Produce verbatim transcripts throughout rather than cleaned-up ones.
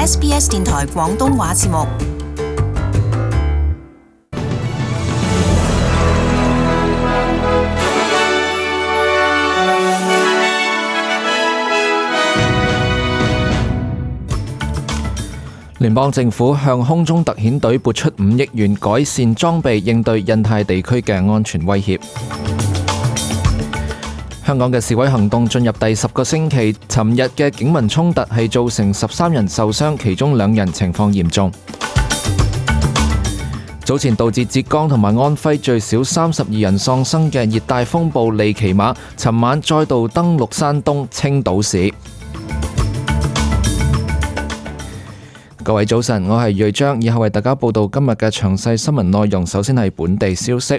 S B S 電台廣東話節目。聯邦政府向空中特遣隊撥出五億元改善裝備，應對印太地區嘅安全威脅。香港嘅示威行動進入第十個星期，尋日嘅警民衝突係造成十三人受傷，其中兩人情況嚴重。早前導致浙江同埋安徽最少三十二人喪生嘅熱帶風暴利奇馬，尋晚再度登陸山東青島市。各位早晨，我係瑞章，以後為大家報道今日嘅詳細新聞內容。首先係本地消息。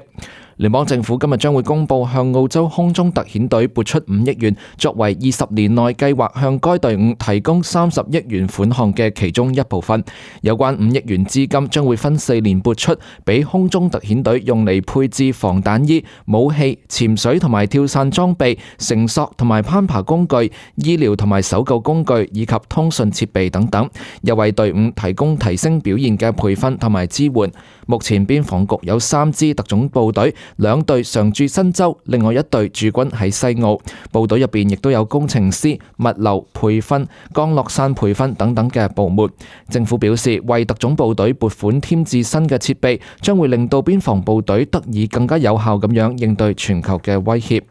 聯邦政府今日將會公布向澳洲空中特遣隊撥出五億元，作為二十年內計劃向該隊伍提供三十億元款項嘅其中一部分。有關五億元資金將會分四年撥出，俾空中特遣隊用嚟配置防彈衣、武器、潛水同埋跳傘裝備、繩索同埋攀爬工具、醫療同埋搜救工具以及通訊設備等等，又為隊伍提供提升表現嘅培訓同埋支援。目前邊防局有三支特種部隊，兩隊常駐新州，另外一隊駐軍喺西澳。部隊入邊亦都有工程師、物流、培訓、降落傘培訓等等嘅部門。政府表示，為特種部隊撥款添置新嘅設備，將會令到邊防部隊得以更加有效咁樣應對全球嘅威脅。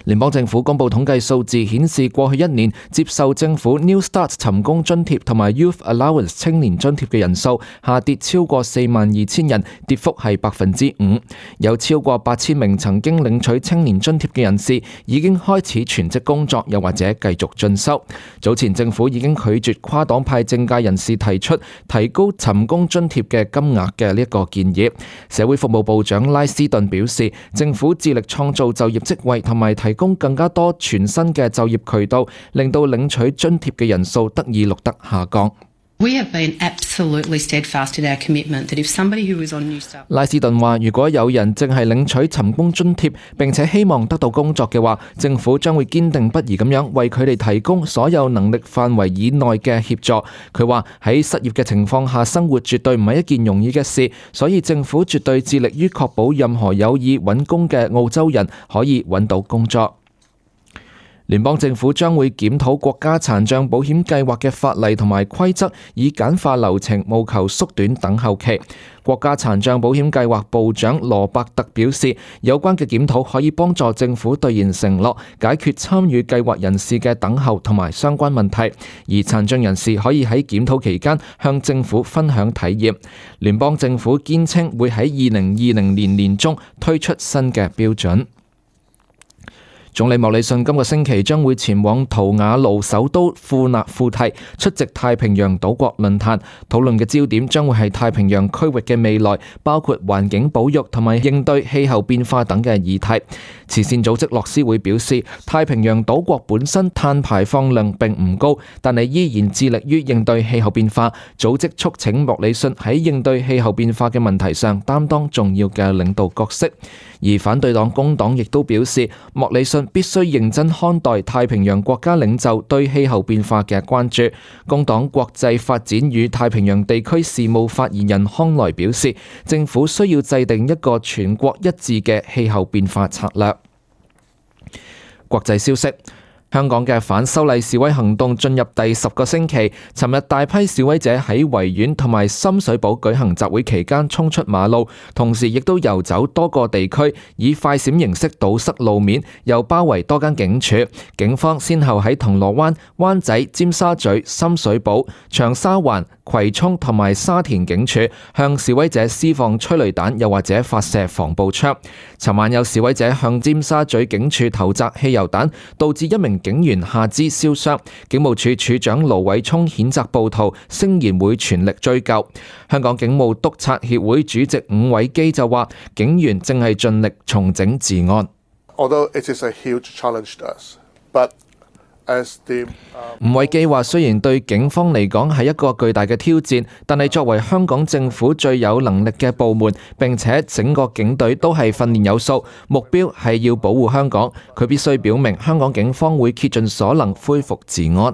聯邦政府公布統計數字顯示，過去一年接受政府 New Start 尋工津貼同埋 Youth Allowance 青年津貼嘅人數下跌超過四萬二千人，跌幅係百分之五。有超過八千名曾經領取青年津貼嘅人士已經開始全職工作，又或者繼續進修。早前政府已經拒絕跨黨派政界人士提出提高尋工津貼嘅金額嘅呢一個建議。社會服務部長拉斯頓表示，政府致力創造就業職位同埋提提供更加多全新嘅就業渠道，令到領取津貼嘅人數得以錄得下降。拉斯頓話，如果有人正係領取尋工津貼並且希望得到工作嘅話，政府將會堅定不移咁樣為佢哋提供所有能力範圍以內嘅協助。佢話喺失業嘅情況下生活絕對唔係一件容易嘅事，所以政府絕對致力於確保任何有意揾工嘅澳洲人可以揾到工作。聯邦政府將會檢討國家殘障保險計劃嘅法例同埋規則，以簡化流程，務求縮短等候期。國家殘障保險計劃部長羅伯特表示，有關嘅檢討可以幫助政府兌現承諾，解決參與計劃人士嘅等候同埋相關問題，而殘障人士可以喺檢討期間向政府分享體驗。聯邦政府堅稱會喺二零二零年年中推出新嘅標準。總理莫里遜今個星期將會前往圖瓦盧首都庫納庫蒂出席太平洋島國論壇，討論嘅焦點將會係太平洋區域嘅未來，包括環境保育同埋應對氣候變化等嘅議題。慈善組織樂施會表示，太平洋島國本身碳排放量並唔高，但係依然致力於應對氣候變化。組織促請莫里遜喺應對氣候變化嘅問題上擔當重要嘅領導角色。而反對黨工黨亦都表示，莫里遜必須認真看待太平洋國家領袖對氣候變化嘅關注。工黨國際發展與太平洋地區事務發言人康萊表示，政府需要制定一個全國一致嘅氣候變化策略。國際消息。香港嘅反修例示威行動進入第十個星期，尋日大批示威者喺維園同埋深水埗舉行集會期間衝出馬路，同時亦都遊走多個地區，以快閃形式堵塞路面，又包圍多間警署。警方先後喺銅鑼灣、灣仔、尖沙咀、深水埗、長沙灣、葵涌同埋沙田警署向示威者施放催淚彈，又或者發射防暴槍。尋晚有示威者向尖沙咀警署投擲汽油彈，導致一名警員下肢燒傷。警務處處長盧偉聰譴責暴徒，聲言會全力追究。香港警務督察協會主席伍偉基就話，警員正係盡力重整治安。Although it is a huge challenge to us, but伍偉基話，雖然對警方嚟講係一個巨大嘅挑戰，但係作為香港政府最有能力嘅部門，並且整個警隊都係訓練有素，目標係要保護香港。佢必須表明香港警方會竭盡所能恢復治安。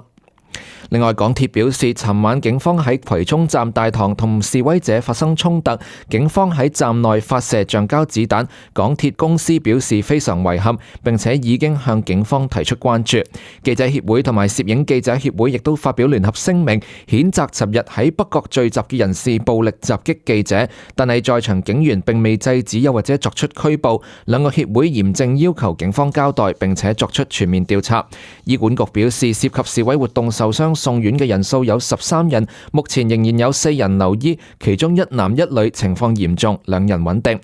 另外，港鐵表示，尋晚警方喺葵涌站大堂同示威者發生衝突，警方喺站內發射橡膠子彈。港鐵公司表示非常遺憾，並且已經向警方提出關注。記者協會同埋攝影記者協會亦都發表聯合聲明，譴責尋日喺北角聚集嘅人士暴力襲擊記者，但係在場警員並未制止又或者作出拘捕。兩個協會嚴正要求警方交代，並且作出全面調查。醫管局表示，涉及示威活動受傷送院嘅人數有十三人，目前仍然有四人留醫，其中一男一女情況嚴重，兩人穩定。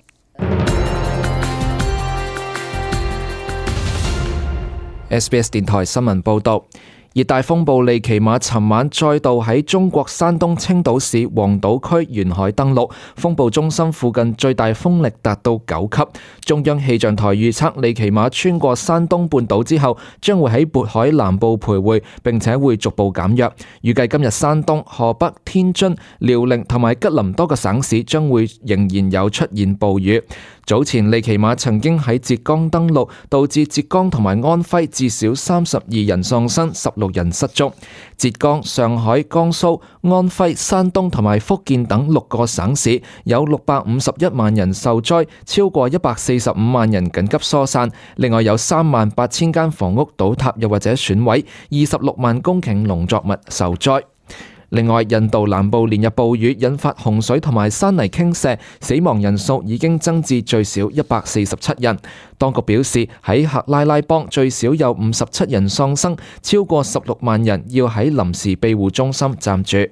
S B S 電台新聞報道。熱帶風暴利奇馬尋晚再度喺中國山東青島市黃島區沿海登陸，風暴中心附近最大風力達到九級。中央氣象台預測利奇馬穿過山東半島之後，將會喺渤海南部徘徊，並且會逐步減弱。預計今日山東、河北、天津、遼寧同埋吉林多個省市將會仍然有出現暴雨。早前利奇馬曾經喺浙江登陸，導致浙江同埋安徽至少三十二人喪生，十六人失蹤。浙江、上海、江蘇、安徽、山東同埋福建等六個省市有六百五十一萬人受災，超過一百四十五萬人緊急疏散。另外有三萬八千間房屋倒塌又或者損毀，二十六萬公頃農作物受災。另外，印度南部連日暴雨引發洪水同埋山泥傾瀉，死亡人數已經增至最少一百四十七人。當局表示，喺克拉拉邦最少有五十七人喪生，超過十六萬人要喺臨時庇護中心暫住。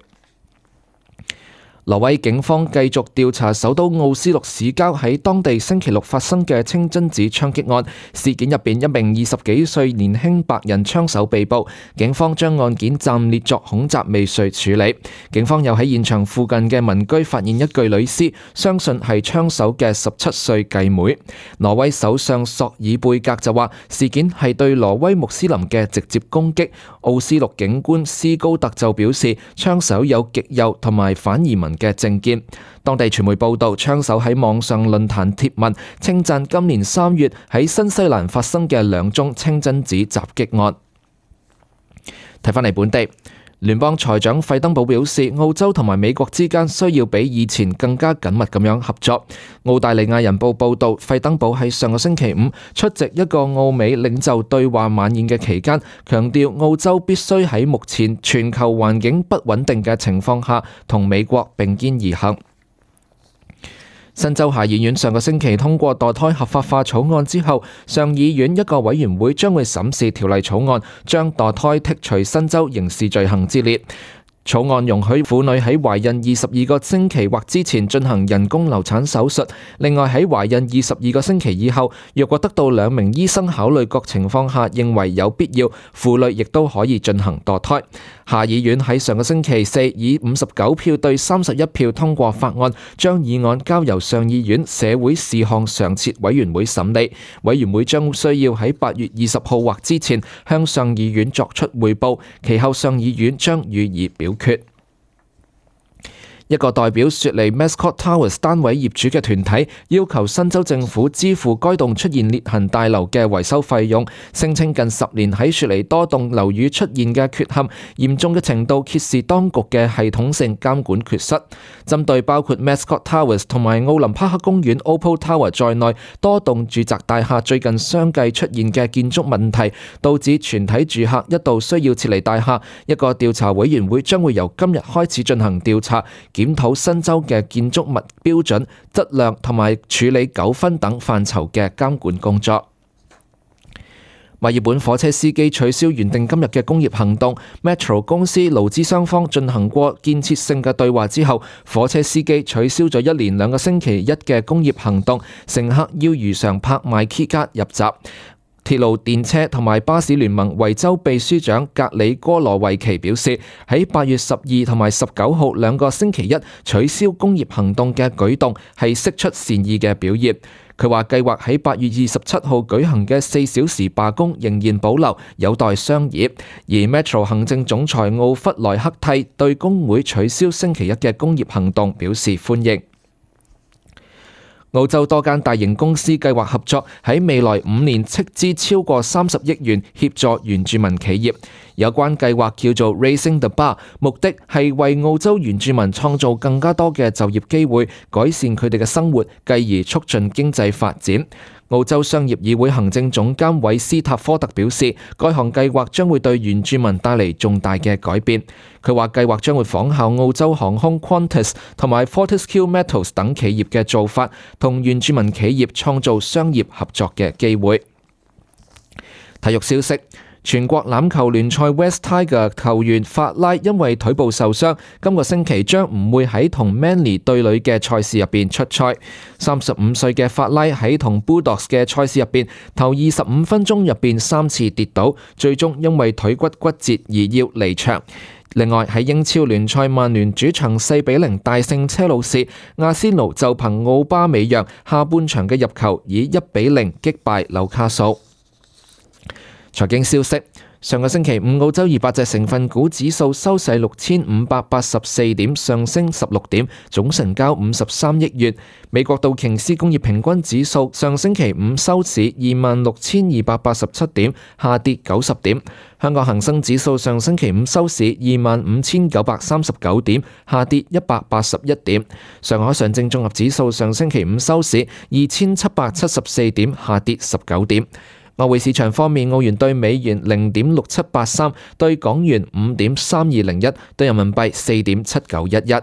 挪威警方繼續調查首都奧斯陸市郊喺當地星期六發生嘅清真寺槍擊案。事件入邊一名二十幾歲年輕白人槍手被捕，警方將案件暫列作恐襲未遂處理。警方又喺現場附近嘅民居發現一具女屍，相信係槍手嘅十七歲繼妹。挪威首相索爾貝格就話，事件係對挪威穆斯林嘅直接攻擊。奧斯陸警官斯高特就表示，槍手有極右同埋反移民嘅政見。當地傳媒報道，槍手喺網上論壇貼文稱讚今年三月喺新西蘭發生嘅兩宗清真寺襲擊案。睇返嚟本地，聯邦財長費登堡表示，澳洲同埋美國之間需要比以前更加緊密咁樣合作。澳大利亞人報報道，費登堡喺上個星期五出席一個澳美領袖對話晚宴嘅期間，強調澳洲必須喺目前全球環境不穩定嘅情況下，同美國並肩而行。新州下議院上個星期通過墮胎合法化草案之後，上議院一個委員會將會審視條例草案，將墮胎剔除新州刑事罪行之列。草案容許婦女喺懷孕二十二個星期或之前進行人工流產手術。另外喺懷孕二十二個星期以後，若果得到兩名醫生考慮各情況下認為有必要，婦女亦都可以進行墮胎。下議院喺上個星期四以五十九票對三十一票通過法案，將議案交由上議院社會事項常設委員會審理。委員會將需要喺八月二十號或之前向上議院作出匯報，其後上議院將予以表決。一個代表雪梨 Mascot Towers 單位業主嘅團體要求新州政府支付該棟出現裂痕大樓嘅維修費用，聲稱近十年喺雪梨多棟樓宇出現嘅缺陷，嚴重嘅程度揭示當局嘅系統性監管缺失。針對包括 Mascot Towers 同埋奧林匹克公園 Opal Tower 在內多棟住宅大廈最近相繼出現嘅建築問題，導致全體住客一度需要撤離大廈，一個調查委員會將會由今日開始進行調查，檢討新州嘅建築物標準、質量同埋處理糾紛等範疇嘅監管工作。墨爾本火車司機取消原定今日嘅工業行動 ，Metro 公司勞資雙方進行過建設性嘅對話之後，火車司機取消咗一連兩個星期一嘅工業行動，乘客要如常拍賣 key 卡入閘。鐵路電車同埋巴士聯盟維州秘書長格里哥羅維奇表示，喺八月十二同埋十九號兩個星期一取消工業行動嘅舉動係釋出善意嘅表現。佢話計劃喺八月二十七號舉行嘅四小時罷工仍然保留，有待商議。而 Metro 行政總裁奧弗萊克蒂對工會取消星期一嘅工業行動表示歡迎。澳洲多間大型公司計劃合作，喺未來五年斥資超過三十億元協助原住民企業。有關計劃叫做 Raising the Bar， 目的係為澳洲原住民創造更加多嘅就業機會，改善佢哋嘅生活，繼而促進經濟發展。澳洲商業議會行政總監韋斯塔科特表示，該項計劃將會對原住民帶嚟重大嘅改變。佢話計劃將會仿效澳洲航空 Qantas 同埋 Fortescue Metals 等企業嘅做法，同原住民企業創造商業合作嘅機會。體育消息。全國欖球聯賽 West Tiger 球員法拉因為腿部受傷，今個星期將唔會喺同 Manly 對壘嘅賽事入邊出賽。三十五歲嘅法拉喺同 Bulldogs 嘅賽事入邊頭二十五分鐘入邊三次跌倒，最終因為腿骨骨折而要離場。另外喺英超聯賽，曼聯主場四比零大勝車路士，阿仙奴就憑奧巴美揚下半場嘅入球以一比零擊敗紐卡素。財經消息，上個星期五澳洲二百隻成分股指數收市六千五百八十四點，上升十六點，總成交五十三億元。美國道瓊斯工業平均指數上星期五收市二萬六千二百八十七點，下跌九十點。香港恒生指數上星期五收市二萬五千九百三十九點，下跌一百八十一點。上海上證綜合指數上星期五收市二千七百七十四點，下跌十九點。外匯市場方面，澳元對美元零點六七八三，對港元五點三二零一，對人民幣四點七九一一。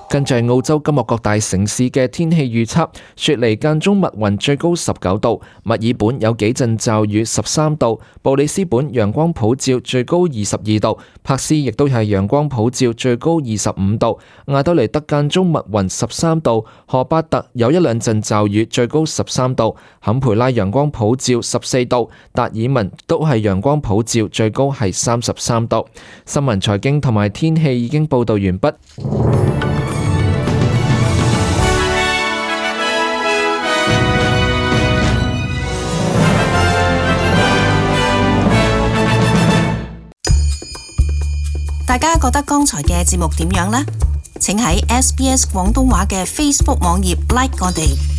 跟住係澳洲今日各大城市嘅天氣預測：雪梨間中密雲，最高十九度；墨爾本有幾陣驟雨，十三度；布里斯本陽光普照，最高二十二度；柏斯亦都係陽光普照，最高二十五度；亞德雷德間中密雲，十三度；荷巴特有一兩陣驟雨，最高十三度；坎培拉陽光普照，十四度；達爾文都係陽光普照，最高係三十三度。新聞、財經同埋天氣已經報道完畢。大家覺得剛才嘅節目點樣呢？請喺 S B S 廣東話嘅 Facebook 網頁 like 我哋。